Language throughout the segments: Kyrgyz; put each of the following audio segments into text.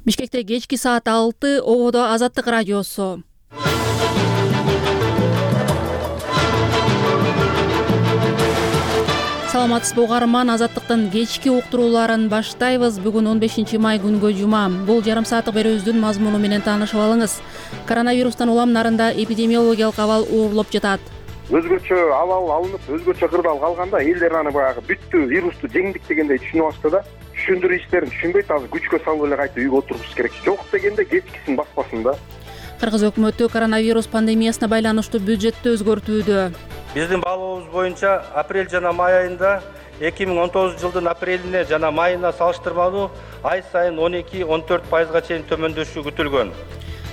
Бишкекте кечки саат 6, ободо Азаттык радиосу. Саламатсызбы угарман, Азаттыктын кечки уктурууларын баштайбыз. Бүгүн 15 май күнгө жума. Бул жарым сааттык берүүбүздүн мазмуну менен таанышып алыңыз. Коронавирустан улам нарында эпидемиологиялык абал уурулуп жатат. Өзгөчө абал алынып, өзгөчө кырдаал калганда элдер аны баягы бүттү, вирусту жеңдик дегендей түшүнүп алышты да. Түшүндүрүү иштерин түшүнбөйт, азыр күчкө салып эле кайта үйгө отурушубуз керек. Жок дегенде кечкисин баспасын да. Кыргыз өкмөтү коронавирус пандемиясына байланыштуу бюджеттти өзгөртүүдө. Биздин баалообуз боюнча апрель жана май айында 2019 жылдын апрелине жана майына салыштырмалуу ай сайын 12-14% чейин төмөндөшү күтүлгөн.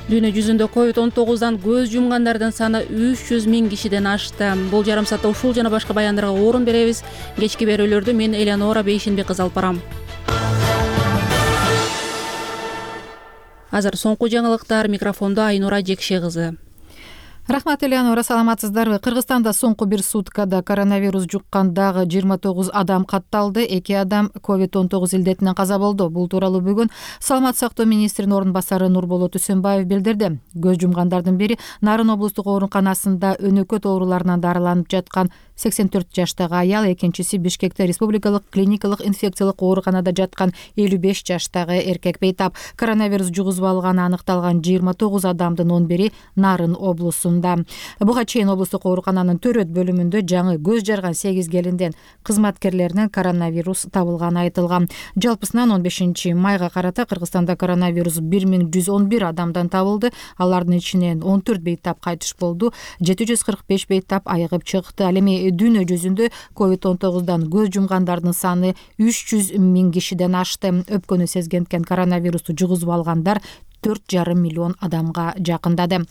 Дүйнө жүзүндө COVID-19дан көз жумгандардын саны 300 миң кишиден ашты. Бул жарым саатта ушул жана башка баяндарга орун беребиз. Кечки берүүлөрдү мен Элеонора Бейшенбек кызы алып барам. Азыр соңку жаңылыктар, микрофондо Айнура Жекше кызы. Рахмат, Элеонора, саламатсыздарбы? Кыргызстанда соңку бир суткада коронавирус жуккан дагы 29 адам катталды. 2 адам COVID-19 илдетинен каза болду. Бул тууралуу бүгүн Саламаттык сактоо министринин орун басары Нурболот Үсөнбаев билдирди. Көз жумгандардын бири Нарын облустук ооруканасында өнөкөт ооруларынан дарыланып жаткан 84 жаштагы аял, экинчиси Бишкекте республикалык клиникалык инфекциялык ооруканада жаткан 55 жаштагы эркек бейтап. Коронавирус жугузуп алганы аныкталган 29 адамдын 11-и Нарын облусунда. Буга чейин облустук оорукананын төрөт бөлүмүндө жаңы көз жарган 8 келинден кызматкерлеринен коронавирус табылганы айтылган. Жалпысынан 15 майга карата Кыргызстанда коронавирус 1111 адамдан табылды. Алардын ичинен 14 бейтап кайтыш болду, 745 бейтап айыгып чыкты. Ал эми дүйнө жүзүндө COVID-19дан көз жумгандардын саны 300 миң кишиден ашты. Өпкөнү сезгенткен коронавирусту жугузуп алгандар 4,5 миллион адамга жакындады.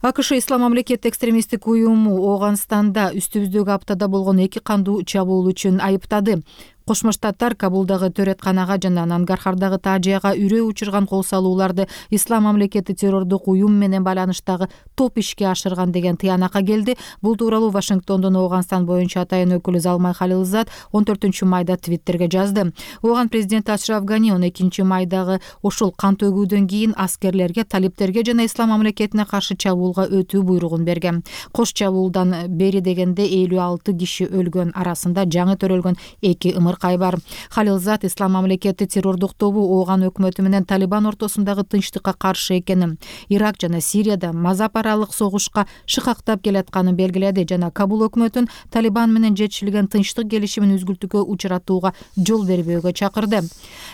АКШ Ислам мамлекети экстремисттик уюму Ооганстанда үстүбүздөгү аптада болгон 2 кандуу чабуул үчүн айыптады. Кошмо Штаттар Кабулдагы Төретканага жана Нангархардагы Тажияга үрөө учурган кол салууларды Ислам мамлекети террордук уюм менен байланыштагы топ ишке ашырган деген тыянакка келди. Бул тууралуу Вашингтондон Ооганстан боюнча атайын өкүлү Залмай Халилзад 14 майда Твиттерге жазды. Ооган президенти Ашраф Гани 12 майдагы ошол кан төгүүдөн кийин аскерлерге, талиптерге жана Ислам мамлекетине каршы чабуулга өтүү буйругун берген. Кош чабуулдан бери дегенде 56 киши өлгөн, арасында жаңы төрөлгөн 2 ымыр бар. Халилзад Ислам мамлекети террордук тобу Ооган өкмөтү менен Талибан ортосундагы тынчтыкка каршы экенин, Ирак жана Сирияда мазап аралык согушка шыкактап келатканын белгиледи жана Кабул өкмөтүн Талибан менен жетишилген тынчтык келишимин үзгүлтүүгө учуратууга жол бербөөгө чакырды.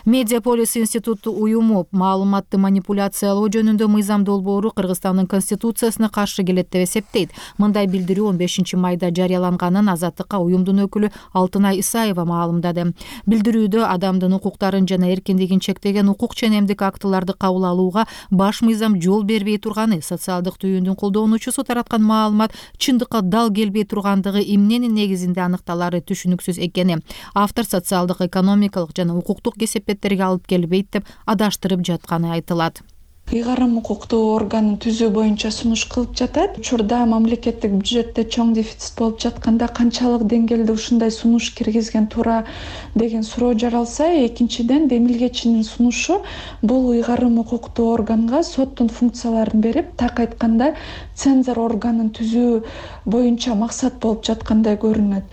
Медиаполис институту уюму маалыматты манипуляциялоо жөнүндө мыйзам долбоору Кыргызстандын конституциясына каршы келет деп эсептейт. Мындай билдирүү 15 майда жарыяланганын Азаттыкка уюмдун өкүлү Алтынай Исаева маалымдады. Билдирүүдө адамдын укуктарын жана эркиндигин чектеген укук ченемдик актыларды кабыл алууга баш мыйзам жол бербей турганы, социалдык түйүндүн колдонуучусу тараткан маалымат чындыкка дал келбей тургандыгы эмненин негизинде аныкталары түшүнүксүз экени, автор социалдык, экономикалык жана укуктук кесепеттерге алып келбейт деп адаштырып жатканы айтылат. Ыйгарым укуктуу органын түзүү боюнча сунуш кылып жатат. Учурда мамлекеттик бюджетте чоң дефицит болуп жатканда канчалык деңгээлде ушундай сунуш киргизген туура деген суроо жаралса, экинчиден демилгечинин сунушу бул ыйгарым укуктуу органга соттун функцияларын берип, так айтканда цензор органын түзүү боюнча максат болуп жаткандай көрүнөт.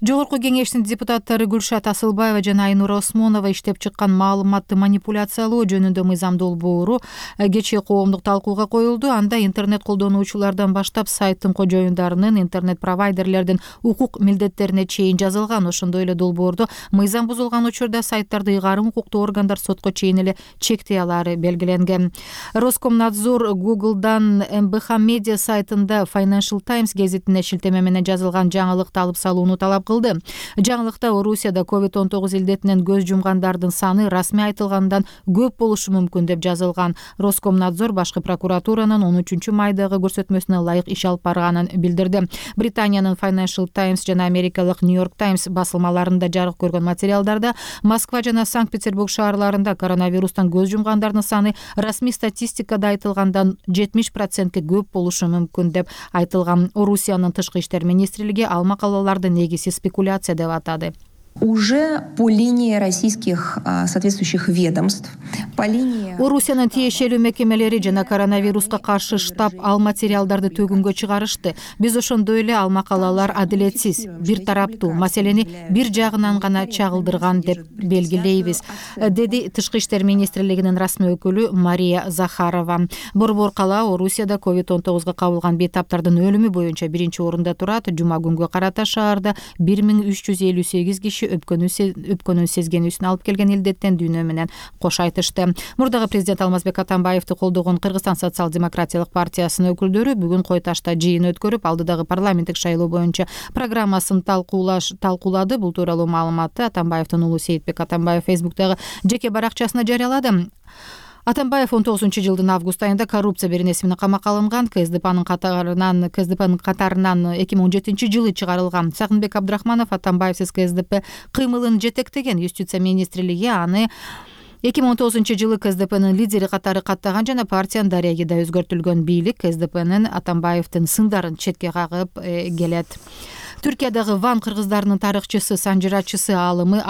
Жогорку кеңештин депутаттары Гүлшат Асылбаева жана Айнура Осмонова иштеп чыккан маалыматты манипуляциялоо жөнүндө мыйзам долбоору кечээ коомдук талкууга коюлду. Анда интернет колдонуучулардан баштап сайттын кожоюндарынын, интернет провайдерлердин укук милдеттерине чейин жазылган. Ошондой эле долбоордо мыйзам бузулган учурда сайттарды ыйгарым укуктуу органдар сотко чейин эле чектей алары белгиленген. Роскомнадзор Google'дан МБХ медиа сайтында Financial Times гезитине шилтеме менен жазылган жаңылыкты алып салууну талап кылды. Жаңылыкта Орусияда COVID-19 илдетинен көз жумгандардын саны расмий айтылгандан көп болушу мүмкүн деп жазылган. Роскомнадзор башкы прокуратуранын 13 майдагы көрсөтмөсүнө ылайык иш алып барганын билдирди. Британиянын Financial Times жана Америкалык New York Times басылмаларында жарык көргөн материалдарда Москва жана Санкт-Петербург шаарларында коронавирустан көз жумгандардын саны расмий статистикада айтылгандан 70%ке көп болушу мүмкүн деп айтылган. Орусиянын тышкы иштер министрлиги ал макалаларды негизсиз спекуляция деп атады. уже по линии российских соответствующих ведомств, по линии... Орусиянын тиешелүү мекемелери жана коронавируска каршы штаб ал материалдарды төгүнгө чыгарышты. Биз ошондой эле ал макалалар адилетсиз, бир тараптуу, маселени бир жагынан гана чагылдырган деп белгилейбиз, деди Тышкы иштер министрлигинин расмий өкүлү Мария Захарова. Борбор кала Орусияда COVID-19 кабылган бейтаптардын өлүмү боюнча биринчи орунда турат. Жума күнгө карата шаарда 1358 киши өпкөнүн сезгенүүсүн алып келген илдеттен дүйнө менен кош айтышты. Мурдагы президент Алмазбек Атамбаевди колдогон Кыргызстан социал-демократиялык партиясынын өкүлдөрү бүгүн Кой Ташта жыйын өткөрүп, алдыдагы парламенттик шайлоо боюнча программасын талкуулады. Бул тууралуу маалыматты Атамбаевдин уулу Сейитбек Атамбаев Фейсбуктагы жеке баракчасына жарыялады. Атамбаев 19-жылдын август айында коррупция беренеси менен камакка алынган. КСДПнын катарынан 2017-жылы чыгарылган. Сагынбек Абдрахманов Атамбаевсиз КСДП кыймылын жетектеген. Юстиция министрлиги аны 2019-жылы КСДПнын лидери катары каттаган жана партиянын дареги да өзгөртүлгөн. Бийлик КСДПнын Атамбаевдин сындарын четке кагып келет. Түркиядагы Ван кыргыздарынын тарыхчысы, санжырачысы, аалымы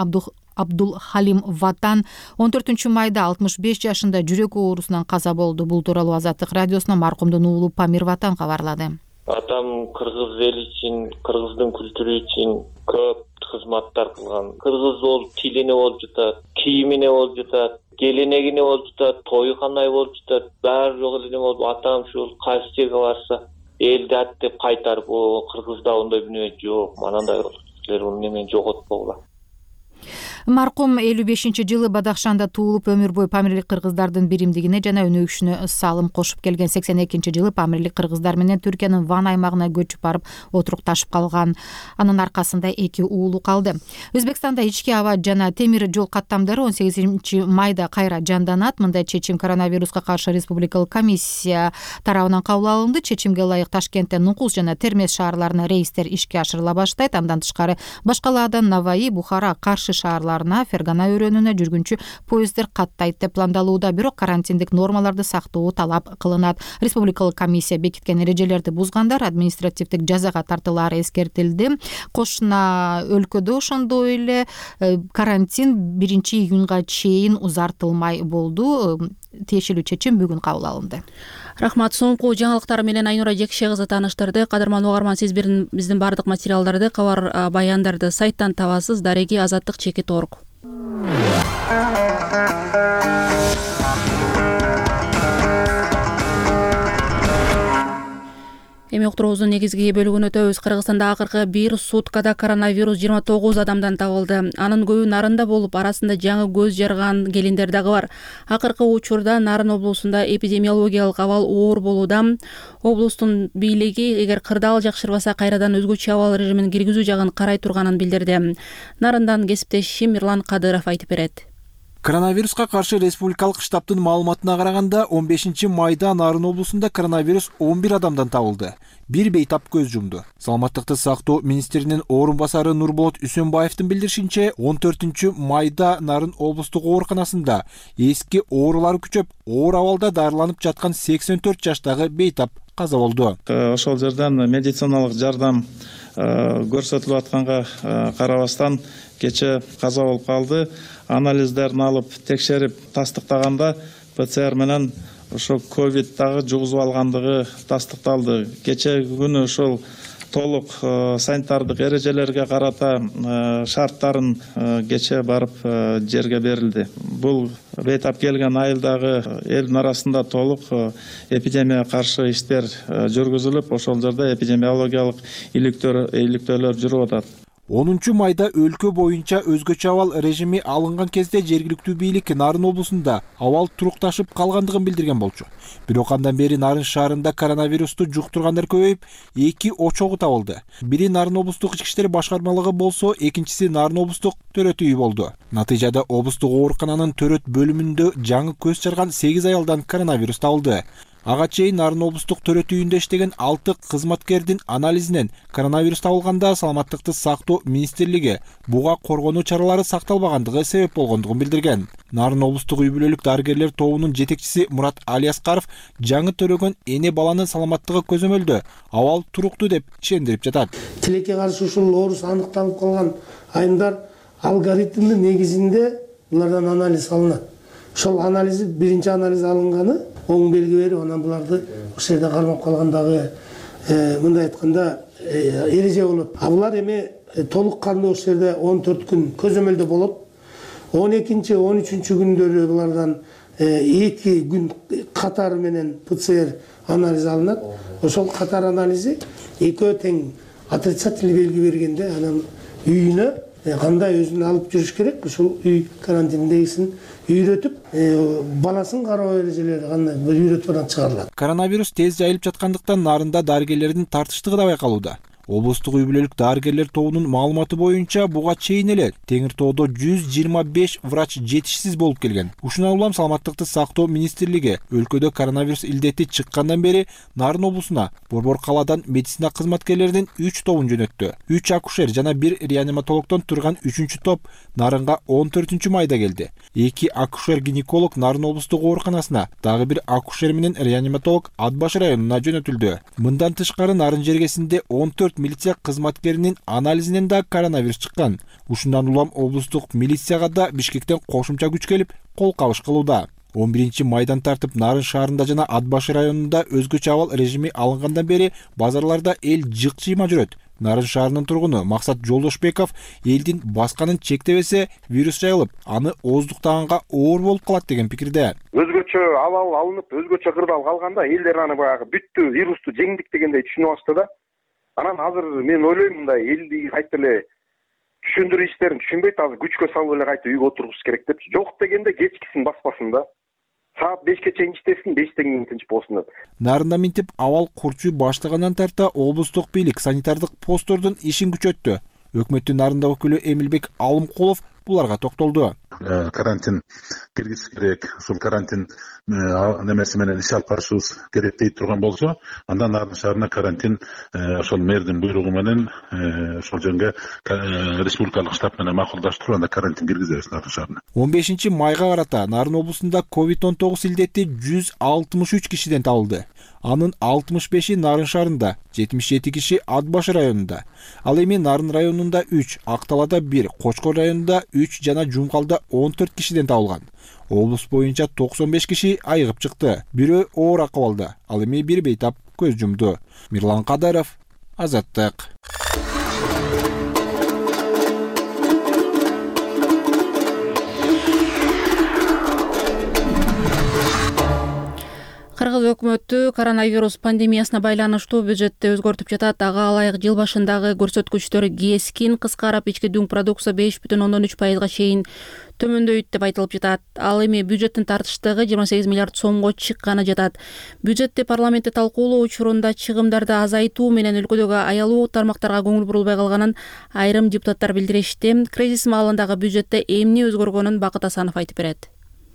Абдул Халим Ватан 14-майда 65 жашында жүрөк оорусунан каза болду. Бул тууралуу Азаттык радиосуна маркумдун уулу Памир Ватан кабарлады. Атам кыргыз эли үчүн, кыргыздын күлтүрү үчүн көп кызматтар кылган. Кыргыз болуп тилине болуп жатат, кийимине болуп жатат, келенегине болуп жатат, тою кандай болуп жатат, баары жок эле болуп. Атам ушул кайсы жерге барса элди аттеп кайтарып, кыргызда ондай дүнөө жок, манандай силер муну немен жоготпогула. Маркум 55-жылы Бадахшанда туулуп, өмүр бою Памирлик кыргыздардын биримдигине жана өнүгүшүнө салым кошуп келген. 82-жылы Памирлик кыргыздар менен Түркиянын Ван аймагына көчүп барып отурукташып калган. Анын аркасында 2 уулу калды. Өзбекстанда ички аба жана темир жол каттамдары 18-майда кайра жанданат. Мындай чечим коронавируска каршы республикалык комиссия тарабынан кабыл алынды. Чечимге ылайык Ташкенттен Нукус жана Термез шаарларына рейстер ишке ашырыла баштайт. Андан тышкары башкалардан Наваи, Бухара, Каршы шаарларына, Фергана өрөөнүнө жүргүнчү поезддер каттайт деп пландалууда. Бирок карантиндик нормаларды сактоо талап кылынат. Республикалык комиссия бекиткен эрежелерди бузгандар административдик жазага тартылаары эскертилди. Кошуна өлкөдө ошондой эле карантин 1-июнга чейин узартылмай болду. Тиешелүү чечим бүгүн кабыл алынды. Рахмат. Соңку жаңылыктар менен Айнура Жекше кызы тааныштырды. Кадырман угарман, сиз биздин бардык материалдарды, кабар баяндарды сайттан табасыз. Дареги Азаттык _org. Эми уктуруубуздун негизги бөлүгүнө өтөбүз. Кыргызстанда акыркы бир суткада коронавирус 29 адамдан табылды. Анын көбү Нарында болуп, арасында жаңы көз жарган келиндер дагы бар. Акыркы учурда Нарын облусунда эпидемиологиялык абал оор болууда. Облустун бийлиги эгер кырдаал жакшырбаса кайрадан өзгөчө абал режимин киргизүү жагын карай турганын билдирди. Нарындан кесиптешим Мирлан Кадыров айтып берет. Коронавируска каршы республикалык штабтын маалыматына караганда 15-майда Нарын облусунда коронавирус 11 адамдан табылды. Бир бейтап көз жумду. Саламаттыкты сактоо министринин орун басары Нурболот Үсөнбаевдин билдиришинче, 14-майда Нарын облустук ооруканасында эски оорулар күчөп, оор абалда дарыланып жаткан 84 жаштагы бейтап каза болду. Ошол жерден медициналык жардам көрсөтүлүп атканга карабастан кече каза болуп калды. Анализдерин алып текшерип тастыктаганда ПЦР менен ошо ковид дагы жугузуп алгандыгы тастыкталды. Кече күнү ошол толук санитардык эрежелерге карата шарттарын кече барып жерге берилди. Бул бейтап келген айылдагы элдин арасында толук эпидемияга каршы иштер жүргүзүлүп, ошол жерде эпидемиологиялык иликтөөлөр жүрүп атат. 10-майда өлкө боюнча өзгөчө абал режими алынган кезде жергиликтүү бийлик Нарын облусунда абал турукташып калгандыгын билдирген болчу. Бирок андан бери Нарын шаарында коронавирусту жуктургандар көбөйүп, 2 очогу табылды. Бири Нарын облустук ички иштер башкармалыгы болсо, экинчиси Нарын облустук төрөт үйү болду. Натыйжада облустук оорукананын төрөт бөлүмүндө жаңы көз жарган 8 аялдан коронавирус табылды. Ага чейин Нарын облустук төрөт үйүндө иштеген 6 кызматкердин анализинен коронавирус табылганда Саламаттыкты сактоо министрлиги буга коргонуу чаралары сакталбагандыгы себеп болгондугун билдирген. Нарын облустук үй бүлөлүк дарыгерлер тобунун жетекчиси Мурат Алияскаров жаңы төрөгөн эне баланын саламаттыгы көзөмөлдө, абал туруктуу деп ишендирип жатат. Тилекке каршы ушул оорус аныкталып калган айымдар алгоритмдин негизинде булардан анализ алынат. Ошол анализ биринчи анализ алынганы оң белги берип, анан буларды ошол жерде кармап калгандагы мындай айтканда эреже болот. А булар эми толук кандуу ошол жерде 14 күн көзөмөлдө болот. 12-13 күндөрү булардан 2 күн катары менен ПЦР анализ алынат. Ошол катар анализи экөө тең отрицательный белги бергенде анан үйүнө кандай өзүн алып жүрүш керек, ушул үй карантиндегисин үйрөтүп, баласын кароо эрежелери кандай үйрөтүп анан чыгарылат. Коронавирус тез жайылып жаткандыктан нарында дарыгерлердин тартыштыгы да байкалууда. Облустук үй бүлөлүк дарыгерлер тобунун маалыматы боюнча буга чейин эле Теңир тоодо 125 врач жетишсиз болуп келген. Ушундан улам Саламаттыкты сактоо министрлиги өлкөдө коронавирус илдети чыккандан бери Нарын облусуна Борбор калаадан медицина кызматкерлеринин 3 тобун жөнөттү. 3 акушер жана 1 реаниматологдон турган 3-чү топ Нарынга 14-майда келди. 2 акушер-гинеколог Нарын облустук ооруканасына, дагы 1 акушер менен реаниматолог Ат Баш районуна жөнөтүлдү. Мындан тышкары Нарын жергесинде 14 милиция кызматкеринин анализинен да коронавирус чыккан. Ушундан улам облустук милицияга да Бишкектен кошумча күч келип, кол кабыш кылууда. 11-майдан тартып Нарын шаарында жана Ат Баш районунда өзгөчө абал режими алынгандан бери базарларда эл жык-жыйма жүрөт. Нарын шаарынын тургуну Максат Жолдошбеков элдин басканын чектебесе вирус жайылып, аны ооздуктаганга оор болуп калат деген пикирде. Өзгөчө абал алынып, өзгөчө кырдаал калганда элдер аны баягы бүттү, вирусту жеңдик дегендей түшүнүп алышты да. Анан азыр мен ойлойм мындай элди кайта эле түшүндүрүү иштерин түшүнбөйт, азыр күчкө салып эле кайта үйгө отургуш керек деп. Жок дегенде кечкисин баспасын да. Саат 5ке чейин иштесин, 5тен кийин тынч болсун деп. Нарында минтип абал курчуу баштагандан тарта облустук бийлик санитардык посттордун ишин күчөттү. Өкмөттүн Нарында өкүлү Эмилбек Алымкулов буларга токтолду. Карантин киргизиш керек, ушул карантин немеси менен иш алып барышыбыз керек дейт турган болсо, андан Нарын шаарына карантин ошол мэрдин буйругу менен ошол жөнгө республикалык штаб менен макулдаштырып, анда карантин киргизебиз Нарын шаарына. 15-майга карата Нарын облусунда COVID-19 илдети 163 кишиден табылды. Анын 65-и Нарын шаарында, 77 киши Ат Баш районунда. Ал эми Нарын районунда 3, Акталада 1, Кочкор районунда 3 жана Жумкалда 14 кишиден табылган. Облус боюнча 95 киши айыгып чыкты. Бирөө оор акыбалда, ал эми бир бейтап көз жумду. Мирлан Кадаров, Азаттык. Кыргыз өкмөтү коронавирус пандемиясына байланыштуу бюджетти өзгөртүп жатат. Ага ылайык жыл башындагы көрсөткүчтөр кескин кыскарып, ички дүң продукция 5,3%га чейин төмөндөйт деп айтылып жатат. Ал эми бюджеттин тартыштыгы 28 миллиард сомго чыкканы жатат. Бюджетти парламентте талкуулоо учурунда чыгымдарды азайтуу менен өлкөдөгү аялуу тармактарга көңүл бурулбай калганын айрым депутаттар билдиришти. Кризис маалындагы бюджетте эмне өзгөргөнүн Бакыт Асанов айтып берет.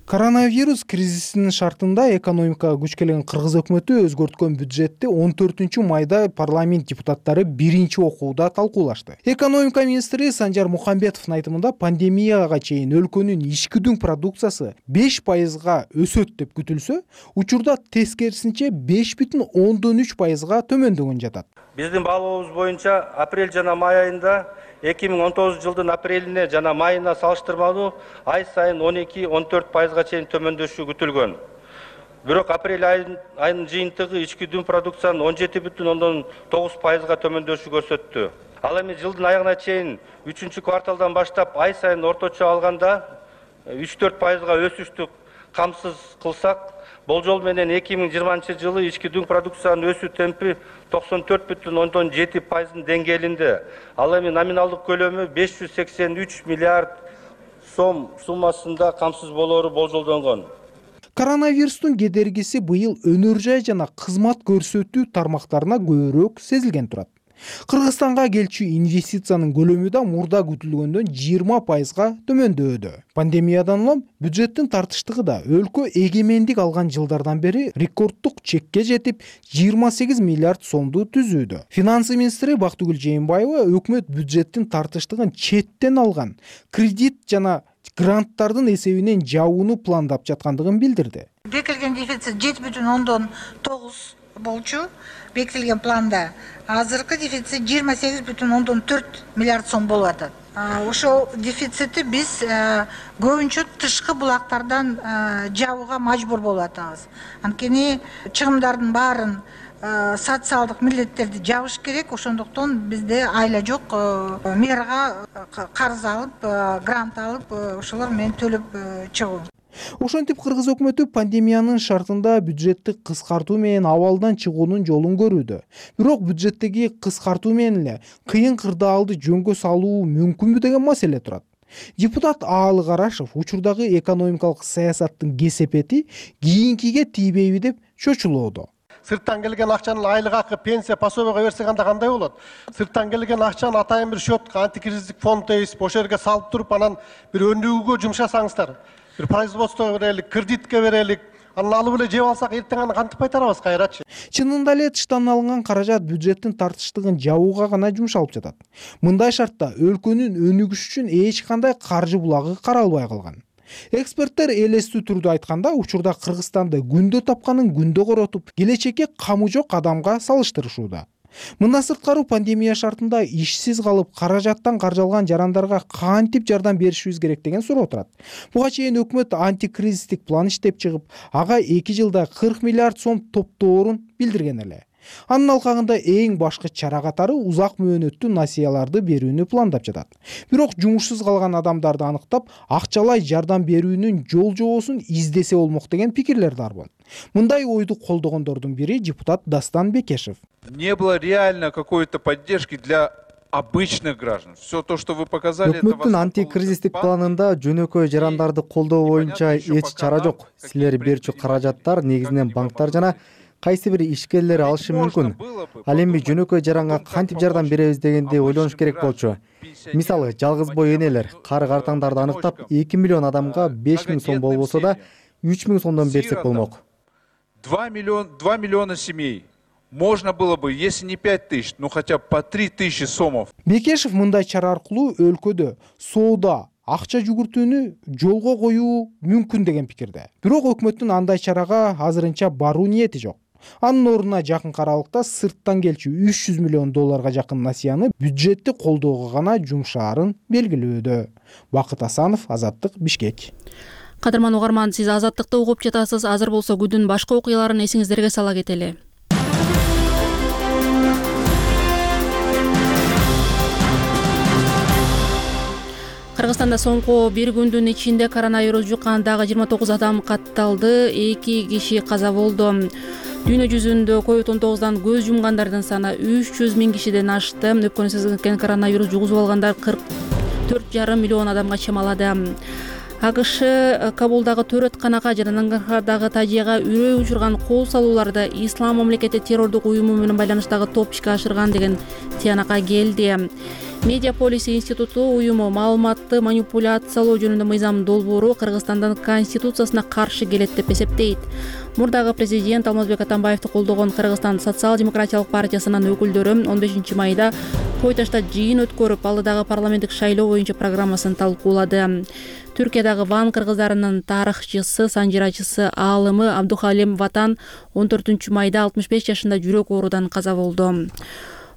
Коронавирус кризисинин шартында экономикага күч келген кыргыз өкмөтү өзгөрткөн бюджетти 14-майда парламент депутаттары биринчи окууда талкуулашты. Экономика министри Санжар Мухамбетовдун айтымында пандемияга чейин өлкөнүн ички дүң продукциясы 5%га өсөт деп күтүлсө, учурда тескерисинче 5,3%га төмөндөгөн жатат. Биздин баалообуз боюнча апрель жана май айында 2019 жылдын апрелине жана майына салыштырмалуу ай сайын 12-14%га чейин төмөндөшү күтүлгөн. Бирок апрель айынын жыйынтыгы ички дүң продукциянын 17,9%га төмөндөшү көрсөттү. Ал эми жылдын аягына чейин 3-кварталдан баштап ай сайын орточо алганда 3-4%га өсүштү камсыз кылсак, болжол менен 2020 жылы ички дүң продукциянын өсүү темпи 94,7%-ын деңгээлинде. Ал эми номиналдык көлөмү 583 миллиард сом суммасында камсыз болоору болжолдонгон. Коронавирустун кедергиси быйыл өнөр жай жана кызмат көрсөтүү тармактарына көбүрөөк сезилген турат. Кыргызстанга келчү инвестициянын көлөмү да мурда күтүлгөндөн 20%га төмөндөөдө. Пандемиядан улам бюджеттин тартыштыгы да өлкө эгемендик алган жылдардан бери рекорддук чекке жетип 28 миллиард сомду түзүүдө. Финансы министри Бактыгүл Жээнбаева өкмөт бюджеттин тартыштыгын четтен алган кредит жана гранттардын эсебинен жабууну пландап жаткандыгын билдирди. Бекерген дефицит 7,9 болчу бекитилген планда. Азыркы дефицит 28,4 миллиард сом болуп атат. Ошол дефицитти биз көбүнчө тышкы булактардан жабууга мажбур болуп атабыз. Анткени чыгымдардын баарын социалдык милдеттерди жабыш керек, ошондуктан бизде айла жок. Мэрга карыз алып, грант алып, ошолор менен төлөп чыгуу. Ошентип кыргыз өкмөтү пандемиянын шартында бюджетти кыскартуу менен абалдан чыгуунун жолун көрүүдө. Бирок бюджеттеги кыскартуу менен эле кыйын кырдаалды жөнгө салуу мүмкүнбү деген маселе турат. Депутат Аалы Карашев учурдагы экономикалык саясаттын кесепети кийинкиге тийбейби деп чочулууда. Сырттан келген акчаны айлык акы, пенсия, пособияга берсек анда кандай болот? Сырттан келген акчаны атайын бир счетко, антикризистик фонд дейбиз, ошол жерге салып туруп, анан бир өнүгүүгө жумшасаңыздар, бир производствого берелик, кредитке берелик, анан алып эле жеп алсак, эртең аны кантип кайтарабыз кайрачы? Чынында эле тыштан алынган каражат бюджеттин тартыштыгын жабууга гана жумшалып жатат. Мындай шартта өлкөнүн өнүгүшү үчүн эч кандай каржы булагы каралбай калган. Эксперттер элестүү түрдө айтканда, учурда Кыргызстанды күндө тапканын күндө коротуп, келечекке камы жок адамга салыштырышууда. Мындан сырткары пандемия шартында ишсиз калып, каражаттан каржалган жарандарга кантип жардам беришибиз керек деген суроо турат. Буга чейин өкмөт антикризистик план иштеп чыгып, ага 2 жылда 40 миллиард сом топтоорун билдирген эле. Анын алкагында эң башкы чара катары узак мөөнөттүү насыяларды берүүнү пландап жатат. Бирок жумушсуз калган адамдарды аныктап, акчалай жардам берүүнүн жол жобосун издесе болмок деген пикирлер бар. Мындай ойду колдогондордун бири депутат Дастан Бекешев. Не было реально какой-то поддержки для обычных граждан. Все то, что вы показали, өкмөттүн антикризистик планында жөнөкөй жарандарды колдоо боюнча эч чара жок. Силер берчү каражаттар негизинен банктар жана кайсы бир ишкерлер алышы мүмкүн. Ал эми жөнөкөй жаранга кантип жардам беребиз дегенди ойлонуш керек болчу. Мисалы, жалгыз бой энелер, картаңдарды аныктап 2 миллион адамга 5 миң сом болбосо да 3 миң сомдон берсек болмок. 2 миллиона семей. Можно было бы, если не 5 тысяч, ну хотя бы по 3 тысячи сомов. Бекешев мындай чара аркылуу өлкөдө соода, акча жүгүртүүнү жолго коюу мүмкүн деген пикирде. Бирок өкмөттүн андай чарага азырынча баруу ниети жок. Анын ордуна жакын аралыкта сырттан келчү 300 миллион долларга жакын насыяны бюджетти колдоого гана жумшаарын белгилөөдө. Бакыт Асанов, Азаттык, Бишкек. Кадырман угарман, сиз Азаттыкты угуп жатасыз. Азыр болсо күндүн башка окуяларын эсиңиздерге сала кетели. Кыргызстанда соңку бир күндүн ичинде коронавирус жуккан дагы 29 адам катталды, 2 киши каза болду. Дүйнө жүзүндө COVID-19дан көз жумгандардын саны 300 миң кишиден ашты. Өпкөнү сезген коронавирус жугузуп алгандар 44,5 миллион адамга чамалады. АКШ Кабулдагы төрөтканага жана Нангархардагы тажияга үрөө учурган кол салууларды Ислам мамлекети террордук уюму менен байланыштагы топ ишке ашырган деген тыянакка келди. Медиаполис институту уюму маалыматты манипуляциялоо жөнүндө мыйзам долбоору Кыргызстандын конституциясына каршы келет деп эсептейт. Мурдагы президент Алмазбек Атамбаевди колдогон Кыргызстан социал-демократиялык партиясынын өкүлдөрү 15 майда Койташта жыйын өткөрүп, алдыдагы парламенттик шайлоо боюнча программасын талкуулады. Түркиядагы Ван кыргыздарынын тарыхчысы, санжирачысы, аалымы Абдухалим Ватан 14 майда 65 жашында жүрөк оорудан каза болду.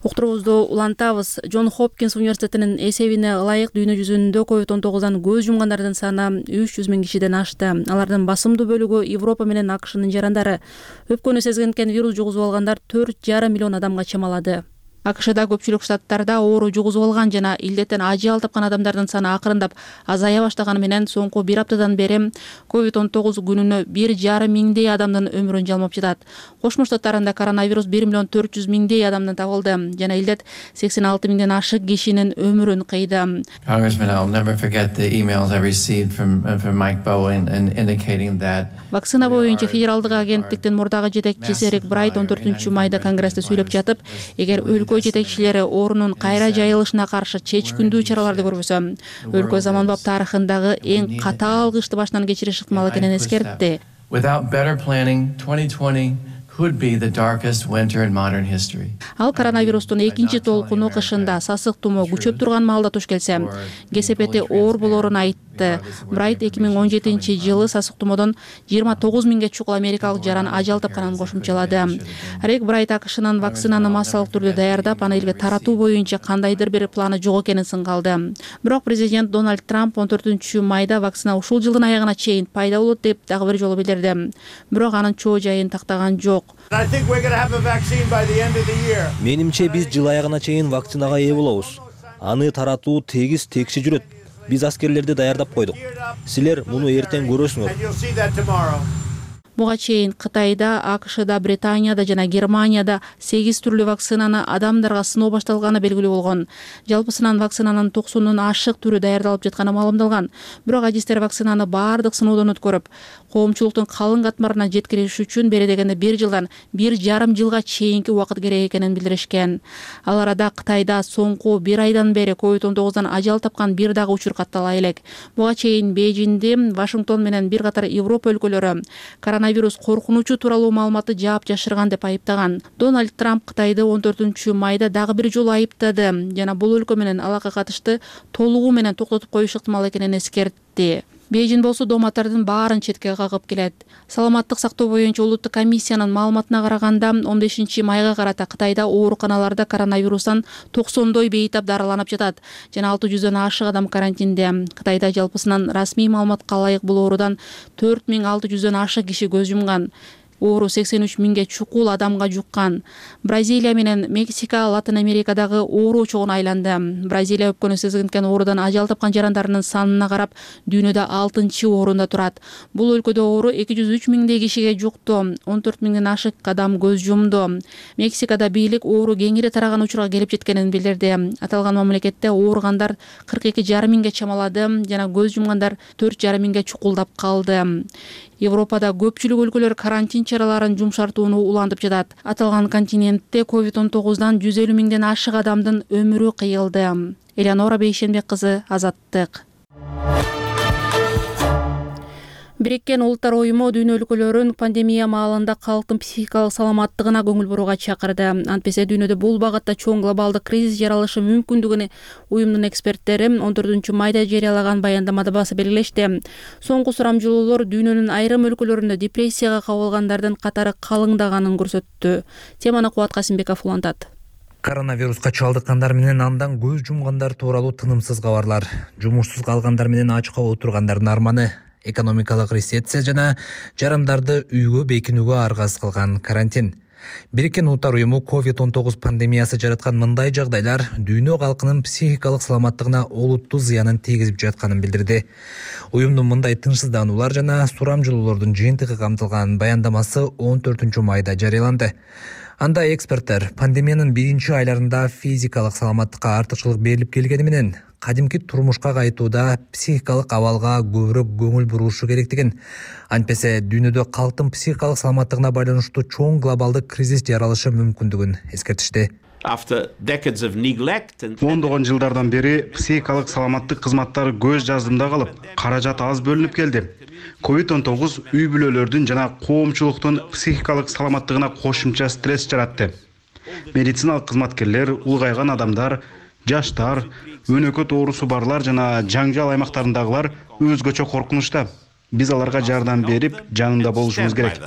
Уктуруубузду улантабыз. Джон Хопкинс университетинин эсебине ылайык дүйнө жүзүндө COVID-19дан көз жумгандардын саны 300 миң кишиден ашты. Алардын басымдуу бөлүгү Европа менен АКШнын жарандары. Өпкөнү сезген вирус жугузуп алгандар 4,5 миллион адамга чамалады. АКШда көпчүлүк штаттарда оору жугузуп алган жана илдеттен ажал тапкан адамдардын саны акырындап азая баштаганы менен соңку бир аптадан бери COVID-19 күнүнө 1,5 миңдей адамдын өмүрүн жалмап жатат. Кошмо Штаттарында коронавирус 1 миллион 400 миңдей адамдан табылды жана илдет 86 миңден ашык кишинин өмүрүн кыйды. Вакцина боюнча федералдык агенттиктин мурдагы жетекчиси Рик Брайт 14 майда Конгрессте сүйлөп жатып, эгер өлкө жетекчилери оорунун кайра жайылышына каршы чечкиндүү чараларды көрбөсө, өлкө заманбап тарыхындагы эң катаал кышты башынан кечириш ыктымал экенин эскертти. Ал коронавирустун экинчи толкуну кышында сасык тумоо күчөп турган маалда туш келсе, кесепети оор болоорун айтты. айтты. Брайт 2017-жылы сасык тумоодон 29 миңге чукул америкалык жаран ажал тапканын кошумчалады. Рек Брайт АКШнын вакцинаны массалык түрдө даярдап, аны элге таратуу боюнча кандайдыр бир планы жок экенин сынгалды. Бирок президент Дональд Трамп 14 майда вакцина ушул жылдын аягына чейин пайда болот деп дагы бир жолу билдирди. Бирок анын чоо жайын тактаган жок. Менимче биз жыл аягына чейин вакцинага ээ болобуз. Аны таратуу тегиз текши жүрөт. Биз аскерлерди даярдап койдук. Силер муну эртең көрөсүңөр. Буга чейин Кытайда, АКШда, Британияда жана Германияда 8 түрлүү вакцинаны адамдарга сыноо башталганы белгилүү болгон. Жалпысынан вакцинанын 90 ашык түрү даярдалып жатканы маалымдалган. Бирок адистер вакцинаны баардык сыноодон өткөрүп, коомчулуктун калың катмарына жеткириш үчүн бери дегенде 1 жылдан 1,5 жылга чейинки убакыт керек экенин билдиришкен. Ал арада Кытайда соңку 1 айдан бери COVID-19 ажал тапкан бир дагы учур каттала элек. Буга чейин Бейжиңди, Вашингтон менен бир катар Европа өлкөлөрү коронавирус коркунучу тууралуу маалыматты жаап жашырган деп айыптаган. Дональд Трамп Кытайды 14 майда дагы бир жолу айыптады жана бул өлкө менен алака катышты толугу менен токтотуп коюш ыктымал экенин эскертти. Бейжиң болсо дооматтардын баарын четке кагып келет. Саламаттык сактоо боюнча улуттук комиссиянын маалыматына караганда 15 майга карата Кытайда ооруканаларда коронавирустан 90дой бейтап дарыланып жатат жана 600дөн ашык адам карантинде. Кытайда жалпысынан расмий маалыматка ылайык бул оорудан 4600дөн ашык киши көз жумган. Оору 83 миңге чукул адамга жуккан. Бразилия менен Мексика Латын Америкадагы оору чогуна айланды. Бразилия өпкөнү сезгинткен оорудан ажал тапкан жарандарынын санына карап дүйнөдө 6-орунда турат. Бул өлкөдө оору 203 миңдей кишиге жукту, 14 миңден ашык адам көз жумду. Мексикада бийлик оору кеңири тараган учурга келип жеткенин билдирди. Аталган мамлекетте ооругандар 42,5 миңге чамалады жана көз жумгандар 4,5 миңге чукулдап калды. Европада көпчүлүк өлкөлөр карантин чараларын жумшартууну улантып жатат. Аталган континентте COVID-19дан 150 миңден ашык адамдын өмүрү кыйылды. Элеонора Бейшенбек кызы, Азаттык. Бириккен Улуттар уюму дүйнө өлкөлөрүн пандемия маалында калктын психикалык саламаттыгына көңүл бурууга чакырды. Антпесе дүйнөдө бул багытта чоң глобалдык кризис жаралышы мүмкүндүгүн уюмдун эксперттери 14 майда жарыялаган баяндамада баса белгилешти. Соңку сурамжылоолор дүйнөнүн айрым өлкөлөрүндө депрессияга кабылгандардын катары калыңдаганын көрсөттү. Теманы Кубат Касымбеков улантат. Коронавируска чалдыккандар менен андан көз жумгандар тууралуу тынымсыз кабарлар, жумушсуз калгандар менен ачка отургандардын арманы, экономикалык рецессия жана жарандарды үйгө бекинүүгө аргасыз кылган карантин. Бириккен Улуттар уюму COVID-19 пандемиясы жараткан мындай жагдайлар дүйнө калкынын психикалык саламаттыгына олуттуу зыянын тийгизип жатканын билдирди. Уюмдун мындай тынчсыздануулар жана сурамжылоолордун жыйынтыгы камтылган баяндамасы 14 майда жарыяланды. Анда эксперттер пандемиянын биринчи айларында физикалык саламаттыкка артыкчылык берилип келгени менен кадимки турмушка кайтууда психикалык абалга көбүрөөк көңүл бурушу керектигин, антпесе дүйнөдө калктын психикалык саламаттыгына байланыштуу чоң глобалдык кризис жаралышы мүмкүндүгүн эскертишти. Ондогон жылдардан бери психикалык саламаттык кызматтары көз жаздымда калып, каражат аз бөлүнүп келди. COVID-19 үй бүлөлөрдүн жана коомчулуктун психикалык саламаттыгына кошумча стресс жаратты. Медициналык кызматкерлер, улгайган адамдар, жаштар, өнөкөт оорусу барлар жана жаңжал аймактарындагылар өзгөчө коркунучта. Биз аларга жардам берип, жанында болушубуз керек.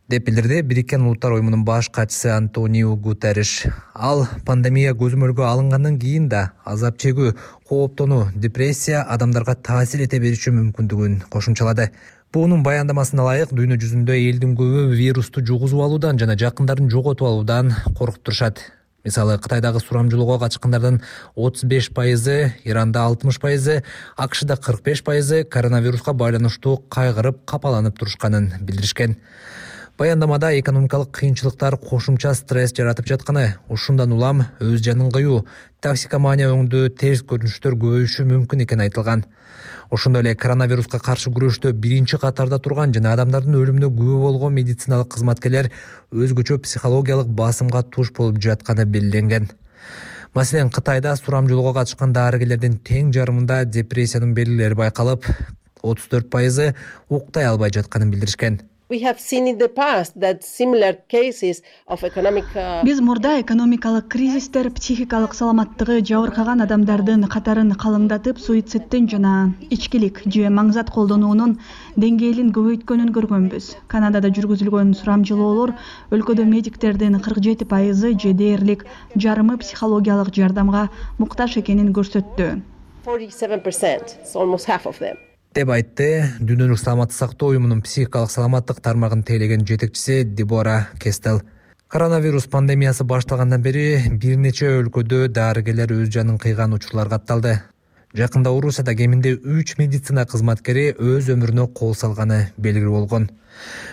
Деп билдирди Бириккен Улуттар уюмунун баш катчысы Антонио Гутерриш. Ал пандемия көзөмөлгө алынгандан кийин да азап чегүү, кооптонуу, депрессия адамдарга таасир эте бериши мүмкүндүгүн кошумчалады. Буунун баяндамасына ылайык дүйнө жүзүндө элдин көбү вирусту жугузуп алуудан жана жакындарын жоготуп алуудан коркуп турушат. Мисалы, Кытайдагы сурамжылоого качкандардын 35%, Иранда 60%, АКШда 45% коронавируска байланыштуу кайгырып, капаланып турушканын билдиришкен. Баяндамада экономикалык кыйынчылыктар кошумча стресс жаратып жатканы, ушундан улам өз жанын кыюу, токсикомания өңдүү терс көрүнүштөр көбөйүшү мүмкүн экени айтылган. Ошондой эле коронавируска каршы күрөштө биринчи катарда турган жана адамдардын өлүмүнө күбө болгон медициналык кызматкерлер өзгөчө психологиялык басымга туш болуп жатканы белгиленген. Маселен, Кытайда сурамжылоого катышкан дарыгерлердин тең жарымында депрессиянын белгилери байкалып, 34% уктай албай жатканын билдиришкен. Биз мурда экономикалык кризистер психикалык саламаттыгы жабыркаган адамдардын катарын калыңдатып, суицидтин жана ичкилик же маңзат колдонуунун деңгээлин көбөйткөнүн көргөнбүз. Канадада жүргүзүлгөн сурамжылоолор өлкөдө медиктердин 47% же дээрлик жарымы психологиялык жардамга муктаж экенин көрсөттү. 47%, деп айтты Дүйнөлүк саламаттык сактоо уюмунун психикалык саламаттык тармагын тейлеген жетекчиси Дебора Кестел. Коронавирус пандемиясы башталгандан бери бир нече өлкөдө дарыгерлер өз жанын кыйган учурлар катталды. Жакында Орусияда кеминде 3 медицина кызматкери өз өмүрүнө кол салганы белгилүү болгон.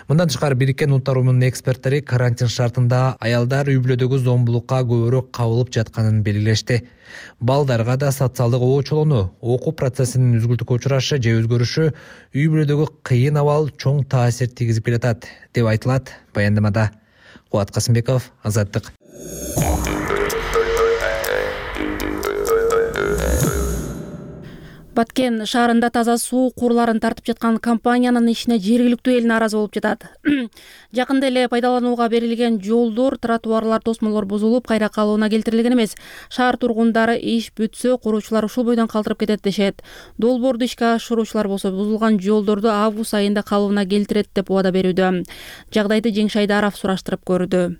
Мындан тышкары Бириккен Улуттар уюмунун эксперттери карантин шартында аялдар үй бүлөдөгү зомбулукка көбүрөөк кабылып жатканын белгилешти. Балдарга да социалдык оочолоону, окуу процессинин үзгүлтүккө учурашы же өзгөрүшү үй бүлөдөгү кыйын абал чоң таасир тийгизип келатат, деп айтылат баяндамада. Кубат Касымбеков, Азаттык. Баткен шаарында таза суу курларын тартып жаткан компаниянын ишине жергиликтүү эл нааразы болуп жатат. Жакында эле пайдаланууга берилген жолдор, тротуарлар, тосмолор бузулуп, кайра калыбына келтирилген эмес. Шаар тургундары иш бүтсө, куруучулар ушул бойдон калтырып кетет дешет. Долбоорду ишке ашыруучулар болсо бузулган жолдорду август айында калыбына келтирет деп убада берүүдө. Жагдайды Жеңиш Шайдаров сураштырып көрдү.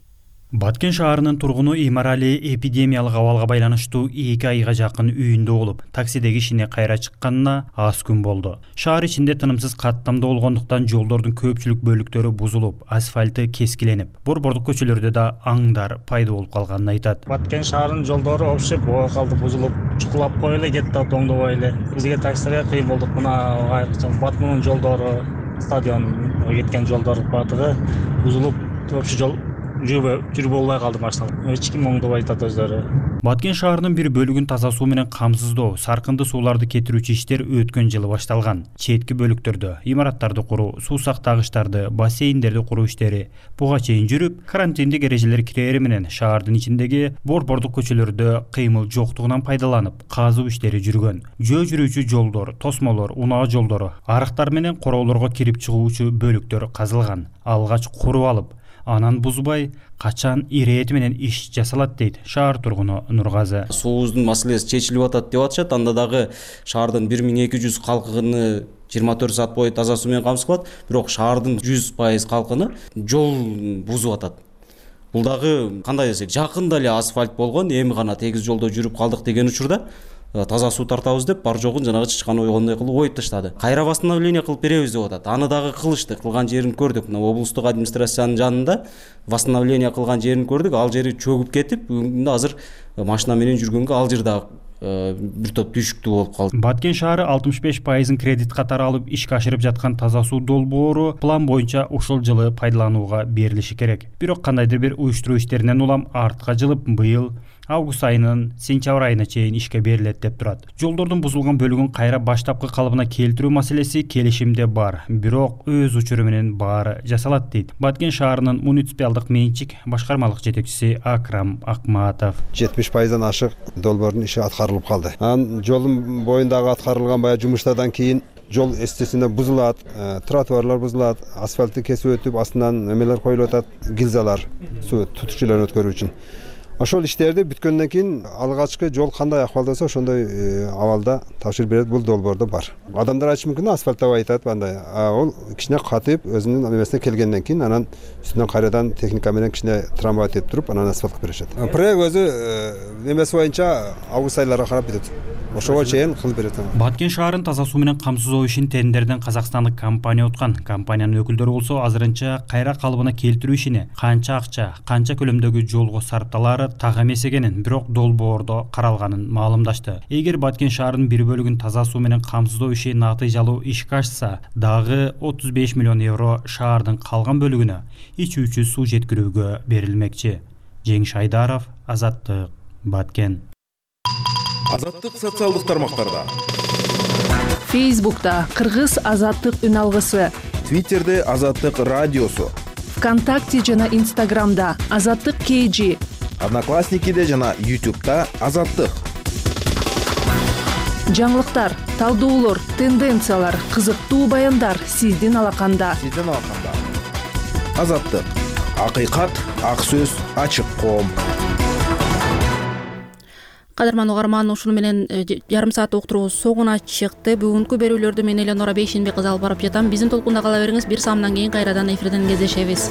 Баткен шаарынын тургуну Имарали эпидемиялык абалга байланыштуу 2 айга жакын үйүндө болуп, таксидеги ишине кайра чыкканына аз күн болду. Шаар ичинде тынымсыз каттамда болгондуктан жолдордун көпчүлүк бөлүктөрү бузулуп, асфальты кескиленип, борбордук көчөлөрдө да аңдар пайда болуп калганын айтат. Баткен шаарынын жолдору вообще буга калды, бузулуп, чукулап кой эле кетти, оңдобой эле. Бизге таксилерге кыйын болдук. Мына айрыкча Батмунун жолдору, стадион кеткен жолдор баатыгы бузулуп, вообще жол жүрүп болбой калды машина. Эч ким оңдобой айтат өздөрү. Баткен шаарынын бир бөлүгүн таза суу менен камсыздоо, саркынды сууларды кетирүүчү иштер өткөн жылы башталган. Четки бөлүктөрдө имараттарды куруу, суу сактагычтарды, бассейндерди куруу иштери буга чейин жүрүп, карантиндик эрежелер кирери менен шаардын ичиндеги борбордук көчөлөрдө кыймыл жоктугунан пайдаланып, казуу иштери жүргөн. Жөө жүрүүчү жолдор, тосмолор, унаа жолдору, арыктар менен короолорго кирип чыгуучу бөлүктөр казылган. Алгач куруп алып, анан бузбай, качан ирэти менен иш жасалат дейт шаар тургуну Нургазы. Суубуздун маселеси чечилип атат деп атышат. Анда дагы шаардын 1200 калкыны 24 саат бою таза суу менен камсыз кылат, бирок шаардын 100% калкыны жол бузуп атат. Бул дагы кандай десек, жакында эле асфальт болгон, эми гана тегиз жолдо жүрүп калдык деген учурда таза суу тартабыз деп бар жогун жанагы чычкан ойгондой кылып оюп таштады. Кайра восстановление кылып беребиз деп атат. Аны дагы кылышты, кылган жерин көрдүк. Мына облустук администрациянын жанында восстановление кылган жерин көрдүк. Ал жери чөгүп кетип, бүгүн азыр машина менен жүргөнгө ал жер дагы бир топ түйшүктүү болуп калды. Баткен шаары 65% кредит катары алып ишке ашырып жаткан таза суу долбоору план боюнча ушул жылы пайдаланууга берилиши керек. Бирок кандайдыр бир уюштуруу иштеринен улам артка жылып, быйыл август айынын сентябрь айына чейин ишке берилет деп турат. Жолдордун бузулган бөлүгүн кайра баштапкы калыбына келтирүү маселеси келишимде бар, бирок өз учуру менен баары жасалат дейт Баткен шаарынын муниципалдык менчик башкармалык жетекчиси Акрам Акматов. 70%дан ашык долбоордун иши аткарылып калды. Анан жолдун боюндагы аткарылган баягы жумуштардан кийин жол эстесинде бузулат, тротуарлар бузулат, асфальтты кесип өтүп, астынан эмелер коюлуп атат, гильзалар, суу тутуучуларын өткөрүү үчүн. Ошол иштерди бүткөндөн кийин алгачкы жол кандай акыбалда болсо ошондой абалда тапшырып берет. Бул долбоордо бар. Адамдар айтышы мүмкүн, асфальттабай айтат андай. Ол кичине катып, өзүнүн эмесине келгенден кийин анан үстүнөн кайрадан техника менен кичине трамбовать этип туруп, анан асфальт кылып беришет. Проект өзү эмеси боюнча август айларга карап бүтөт. Ошого чейин кылып берет. Баткен шаарын таза суу менен камсыздоо ишин тендерден казакстандык компания уткан. Компаниянын өкүлдөрү болсо азырынча кайра калыбына келтирүү ишине канча акча, канча көлөмдөгү жолго сарпталары так эмес экенин, бирок долбоордо каралганын маалымдашты. Эгер Баткен шаарынын бир бөлүгүн таза суу менен камсыздоо иши натыйжалуу ишке ашса, дагы 35 миллион евро шаардын калган бөлүгүнө ичүүчү суу жеткирүүгө берилмекчи. Жеңиш Айдаров, Азаттык, Баткен. Азаттык социалдык тармактарда. Фейсбукта Кыргыз Азаттык үн алгысы, Твиттерде Азаттык радиосу, ВКонтакте жана Инстаграмда Азаттык KG, Одноклассникиде жана YouTube'да Азаттык. Жаңылыктар, талдоолор, тенденциялар, кызыктуу баяндар сиздин алаканда. Азаттык. Акыйкат, ак сөз, ачык коом. Кадырман угарман, ушуну менен жарым саат уктуруубуз соңуна чыкты. Бүгүнкү берүүлөрдү мен Элеонора Бейшенбек кызы алып барып жатам. Биздин толкунда кала бериңиз. 1 саамдан кийин кайрадан эфирден кездешебиз.